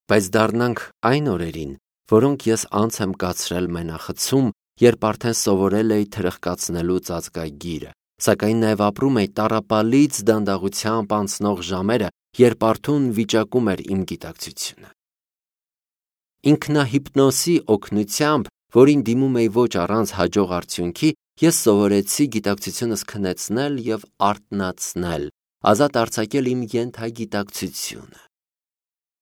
Բայց դառնանք այն օրերին, որոնք ես անց եմ կացրել մենախցում, երբ արդեն սովորել էի թրխկացնելու ծածկագիրը, սակայն նաև ապրում էի տառապալից դանդաղությամբ անցնող ժամերը, երբ արթուն վիճակում էր իմ գիտակցությունը։ Ինքնահիպնոսի օգնությամբ, որին դիմում էի ոչ առանց հաջող արդյունքի, ես սովորեցի գիտակցությունս քնեցնել և արթնացնել, ազատ արձակել իմ ենթագիտակցությունը։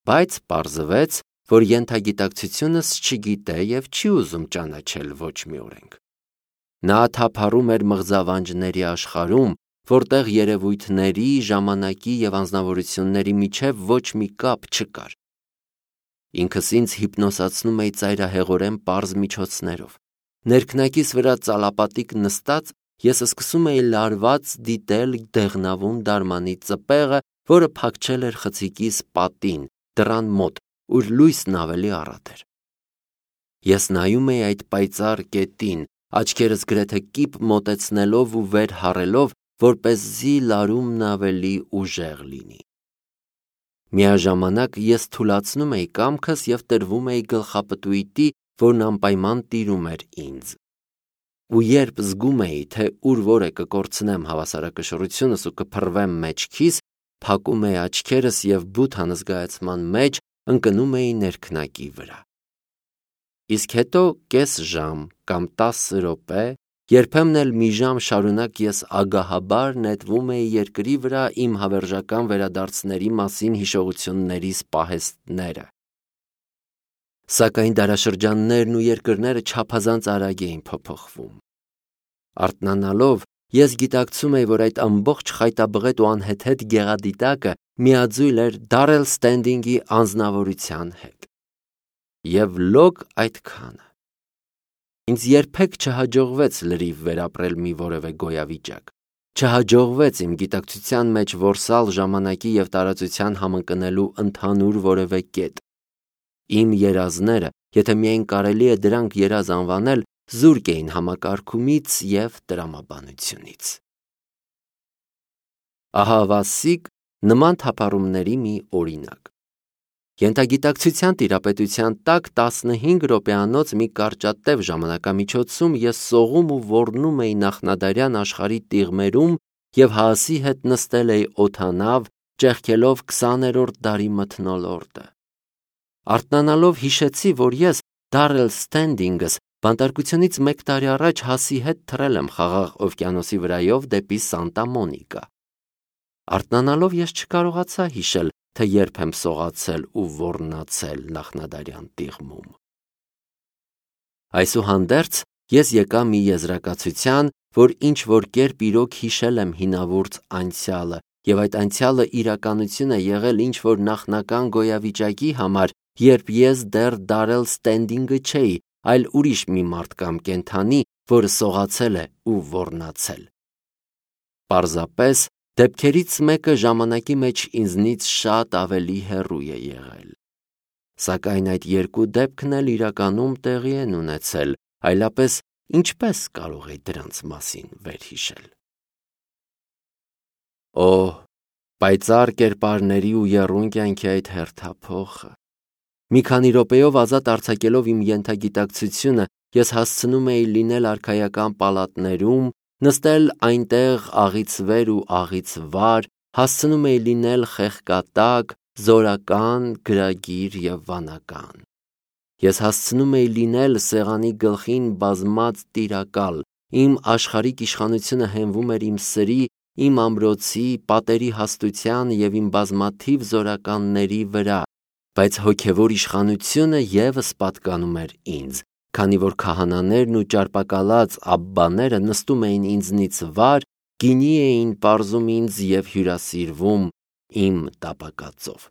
Բայց պարզվեց, որ ենթագիտակցությունս չգիտե և չի ուզում ճանաչել ոչ մի օրենք։ Նա թափառում էր մղձավանջների աշխարհում, որտեղ երևույթների, ժամանակի և անձնավորությունների միջև ոչ մի կապ չկար։ Ինքս ինձ հիպնոսացնում էի ծայրահեղորեն պարզ միջոցներով։ Ներքնակիս վրա ծալապատիկ նստած, ես սկսում էի լարված դիտել դեղնավուն դարմանի ծպեղը, որը փակչել էր խցիկիս պատին, դռան մոտ, ուր լույսն ավելի առատ էր։ Ես նայում էի այդ պայծառ կետին, աչքերս գրեթե կիպ մոտեցնելով ու վեր հառելով, որպեսզի լարումն ավելի ուժեղ լինի։ Միաժամանակ ես թուլացնում էի կամքս և տրվում էի գլխապտույտի, որն անպայման տիրում էր ինձ։ Ու երբ զգում էի, թե ուր որ է կկորցնեմ հավասարակշռությունս ու կփռվեմ մեջքիս, փակում էի աչքերս և բութ անզգայացման մեջ ընկնում էի ներքնակի վրա։ Իսկ հետո կես ժամ կամ 10 րոպե, երբեմն էլ մի ժամ շարունակ ես ագահաբար նետվում էի երկրի վրա իմ հավերժական վերադարձների մասին հիշողություններիս պահեստները։ Սակայն դարաշրջաններն ու երկրները չափազանց արագ էին փոփոխվում։ Արթնանալով, ես գիտակցում էի, որ այդ ամբողջ խայտաբղետ ու անհեթեթ գեղադիտակը միաձույլ էր Դարել Ստենդինգի անձնավորության հետ։ Եվ լոկ այդքանը։ Ինձ երբեք չհաջողվեց լրիվ վերապրել մի որևէ գոյավիճակ։ Չհաջողվեց իմ գիտակցության մեջ որսալ ժամանակի և տարածության համընկնելու ընդհանուր որևէ կետ։ Իմ երազները, եթե միայն կարելի է դրանք երազ անվանել, զուրկ էին համակարգումից և տրամաբանությունից։ Ահա Վասիկ նման թափառումների մի օրինակ։ Ենթագիտակցության տիրապետության տակ 15 րոպեանոց մի կարճատև ժամանակամիջոցում ես սողում ու ոռնում էի նախնադարյան աշխարհի տիղմերում և Հաասի հետ նստել էի օդանավ, ճեղքելով 20-րդ դարի մթնոլորտը։ Արթնանալով հիշեցի, որ ես Դարել Ստենդինգս բանտարկությունից 1 տարի առաջ Հաասի հետ թռել եմ Խաղաղ օվկիանոսի վրայով դեպի Սանտա Մոնիկա։ Արթնանալով ես չկարողացա հիշել, թե երբ եմ սողացել ու ոռնացել նախնադարյան տիղմում։ Այսուհանդերձ ես եկա մի եզրակացության, որ ինչ-որ կերպ իրոք հիշել եմ հինավուրց անցյալը, և այդ անցյալը իրականություն է եղել ինչ-որ նախնական գոյավիճակի համար, երբ ես դեռ Դարել Ստենդինգը չէի, այլ ուրիշ մի մարդ կամ կենդանի, որը սողացել է ու ոռնացել։ Պարզապես դեպքերից մեկը ժամանակի մեջ ինձնից շատ ավելի հեռու է եղել։ Սակայն այդ երկու դեպքն էլ իրականում տեղի են ունեցել, այլապես ինչպես կարող էի դրանց մասին վերհիշել։ Օհ, պայծառ կերպարների ու եռուն կյանքի այդ հերթափոխը։ Մի քանի րոպեով ազատ արձակելով իմ ենթագիտակցությունը, ես հասցնում էի լինել արքայական պալատներում, նստել այնտեղ աղից վեր ու աղից վար, հասցնում էի լինել խեղկատակ, զորական, գրագիր և վանական։ Ես հասցնում էի լինել սեղանի գլխին բազմած տիրակալ, իմ աշխարհիկ իշխանությունը հենվում էր իմ սրի, իմ ամրոցի, պատերի հաստության և իմ բազմաթիվ զորականների վրա, բայց հոգևոր իշխանությունը ևս պատկանում էր ինձ, քանի որ քահանաներն ու ճարպակալած աբբաները նստում էին ինձնից վար, գինի էին պարզում ինձ և հյուրասիրվում իմ տապակածով։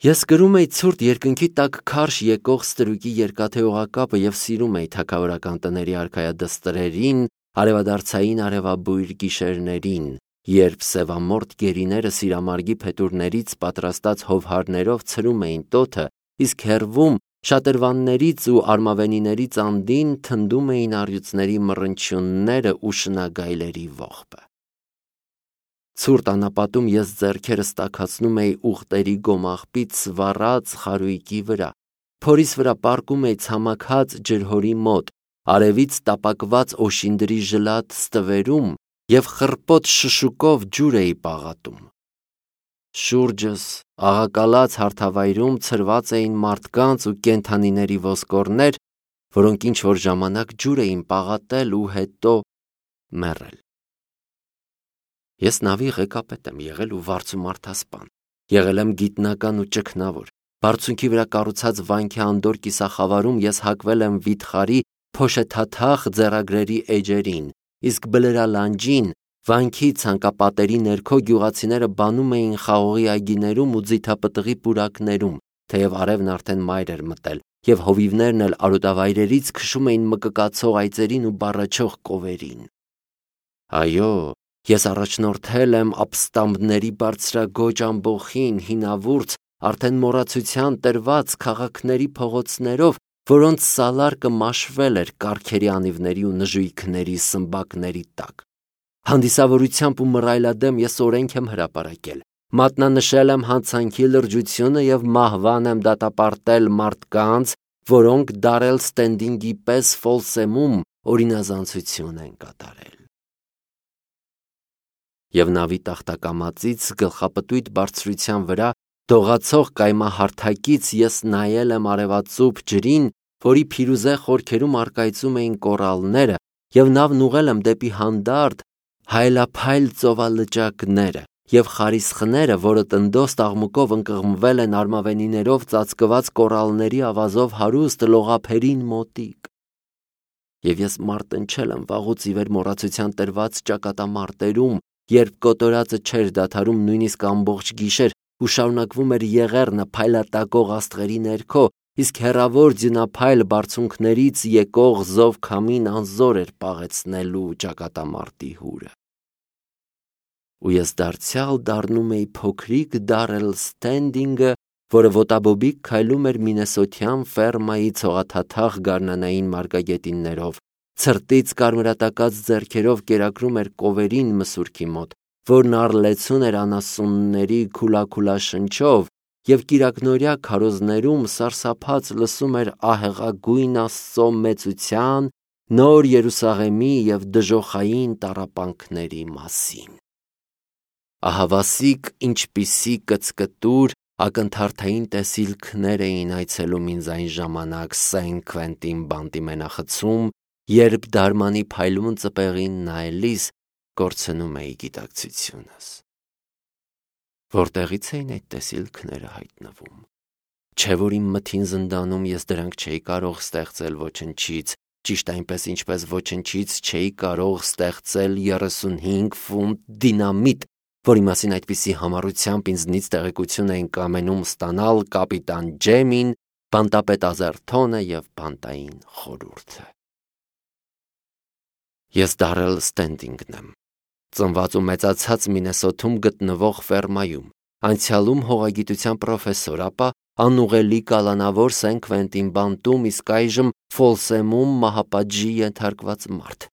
Ես կրում էի ցուրտ երկնքի տակ քարշ եկող ստրուկի երկաթե օղակապը և սիրում էի թագավորական տների արքայադստրերին, արևադարձային արևաբույր գիշերներին, երբ սևամորթ գերիները սիրամարգի փետուրներից պատրաստած հովհարներով ցրում էին տոթը, իսկ հեռվում շատրվաններից ու արմավենիներից անդին թնդում էին առյուծների մռնչյունները ու շնագայլերի ողբը։ Ցուրտ անապատում ես ձեռքերս տաքացնում էի ուղտերի գոմաղբից վառած խարույկի վրա, փորիս վրա պառկում էի ցամաքած ջրհորի մոտ, արևից տապակված օշինդրի ժլատ ստվերում և խռպոտ շշուկով ջուր էի պաղատում։ Շուրջս աղակալած հարթավայրում ցրված էին մարդկանց ու կենդանիների ոսկորներ, որոնք ինչ-որ ժամանակ ջուր էին պաղատել ու հետո մեռել։ Ես նավի ղեկապետ եմ եղել ու վարձու մարդասպան, եղել եմ գիտնական ու ճգնավոր։ Բարձունքի վրա կառուցած վանքի անդոր կիսախավարում ես հակվել եմ վիթխարի փոշեթաթախ ձեռագրերի էջերին, իսկ բլրալանջին վանքի ցանկապատերի ներքո գյուղացիները բանում էին խաղողի այգիներում ու ձիթապտղի պուրակներում, թեև արևն արդեն մայր էր մտել, և հովիվներն էլ արոտավայրերից քշում էին մկկացող այծերին ու բառաչող կովերին։ Այո, ես առաջնորդել եմ ապստամբների բարձրագոճ ամբոխին, հինավուրց, արդեն մոռացության տրված քաղաքների փողոցներով, որոնց սալարկը մաշվել էր կառքերի անիվների ու նժույգների սմբակների տակ։ Հանդիսավորությամբ ու մռայլադեմ ես օրենք եմ հրապարակել, մատնանշել եմ հանցանքի լրջությունը և մահվան եմ դատապարտել մարդկանց, որոնք Դարել Ստենդինգի պես Ֆոլսեմում օրինազանցություն են կատարել։ Եվ նավի տախտակամածից գլխապտույտ բարձրության վրա դողացող կայմահարթակից ես նայել եմ արևածուփ ջրին, որի փիրուզե խորքերում առկայծում էին կորալները, և նավն ուղղել եմ դեպի հանդարտ հայելափայլ ծովալճակները և խարիսխները, որը տնդոս տաղմուկով ընկղմվել են արմավենիներով ծածկված կորալների ավազով հարուստ լողափերին մոտիկ։ Եվ ես մարտնչել եմ վաղուց ի վեր մոռացության տրված ճակատամարտերում, երբ կոտորածը չէր դադարում նույնիսկ ամբողջ գիշեր ու շարունակվում էր եղեռնը փայլատակող աստղերի ներքո, իսկ հեռավոր ձյունափայլ բարձունքներից եկող զով քամին անզոր էր պաղեցնելու ճակատամարտի հուրը։ Ու ես դարձյալ դառնում էի փոքրիկ Դարել Ստենդինգը, որը ոտաբոբիկ քայլում էր մինեսոթյան ֆերմայի ցողաթաթախ գարնանային մարգագետիններով, ցրտից կարմրատակած ձեռքերով կերակրում էր կովերին մսուրքի մոտ, որն առլեցուն էր անասունների քուլաքուլա շնչով, և կիրակնօրյա քարոզներում սարսափած լսում էր ահեղագույն Աստծո մեծության, նոր Երուսաղեմի և դժոխային տառապանքների մասին։ Ահավասիկ ինչպիսի կծկտուր ակնթարթային տեսիլքներ էին այցելում ինձ այն ժամանակ Սեն Քվենտին բանտի մենախցում, երբ դարմանի փայլուն ծպեղին նայելիս կորցնում էի գիտակցությունս։ Որտեղից էին այդ տեսիլքները հայտնվում։ Չէ՞ որ իմ մթին զնդանում ես դրանք չէի կարող ստեղծել ոչնչից, ճիշտ այնպես ինչպես ոչնչից չէի կարող ստեղծել 35 ֆունտ դինամիտ, որի մասին այդպիսի համառությամբ ինձնից տեղեկություն էին կամենում ստանալ կապիտան Ջեմին, բանտապետ Ազերթոնը և բանտային խորհուրդը։ Ես Դարել Ստենդինգն եմ, ծնված ու մեծացած Մինեսոթում գտնվող ֆերմայում, անցյալում հողագիտության պրոֆեսոր, ապա անուղելի կալանավոր Սեն Քվենտին բանտում, իսկ այժմ Ֆոլսեմում մահապատժի ենթարկված մարդ։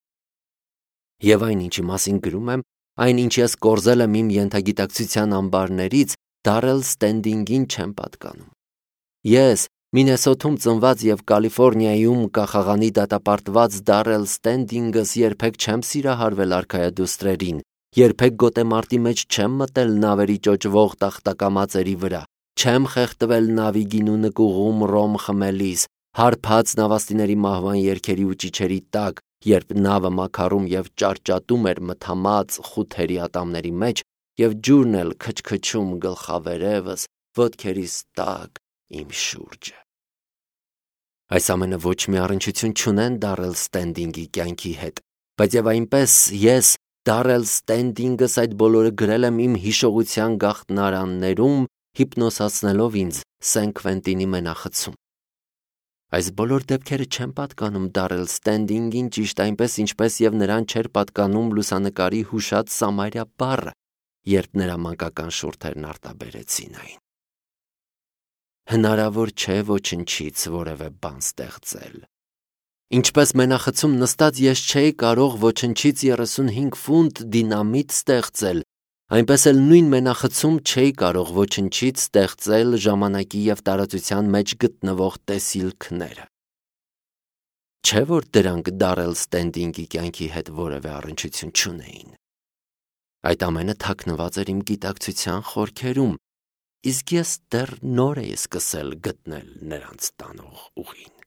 Եվ այն, ինչի մասին գրում եմ, այն, ինչ ես կորզել եմ իմ ենթագիտակցության ամբարներից, Դարել Ստենդինգին չեմ պատկանում։ Ես Մինեսոթում ծնված և Կալիֆոռնիայում կախաղանի դատապարտված Դարել Ստենդինգս երբեք չեմ սիրահարվել արքայադուստրերին, երբեք գոտեմարտի մեջ չեմ մտել նավերի ճոճվող տախտակամածերի վրա, չեմ խեղդվել նավի գինու նկուղում ռոմ խմելիս, հարբած նավաստիների մահվան երգերի ու ճիչերի տակ, երբ նավը մաքարում և ճարճատում էր մթամած խութերի ատամների մեջ, և ջուրն էլ քչքչում գլխավերևս, ոտքերիս տակ իմ շուրջը։ Այս ամենը ոչ մի առնչություն չունեն Դարել Ստենդինգի կյանքի հետ, բայց և այնպես ես Դարել Ստենդինգս այդ բոլորը գրել եմ իմ հիշողության գաղտնարաններում, հիպնոսացնելով ինձ Սեն Քվենտինի մենախցում։ Այս բոլոր դեպքերը չեն պատկանում Դարել Ստենդինգին ճիշտ այնպես, ինչպես և նրան չէր պատկանում լուսանկարի հուշած Սամարյա բառը, երբ նրա մանկական շուրթերն արտաբերեցին այն։ Հնարավոր չէ ոչնչից որևէ բան ստեղծել։ Ինչպես մենախցում նստած ես չէի կարող ոչնչից 35 ֆունտ դինամիտ ստեղծել, Այնպես էլ նույն մենախցում չէի կարող ոչնչից ստեղծել ժամանակի և տարածության մեջ գտնվող տեսիլքները։ Չէ՞ որ դրանք Դարել Ստենդինգի կյանքի հետ որևէ առնչություն չունեին։ Այդ ամենը թաքնված էր իմ գիտակցության խորքերում, իսկ ես դեռ նոր էի սկսել գտնել նրանց տանող ուղին։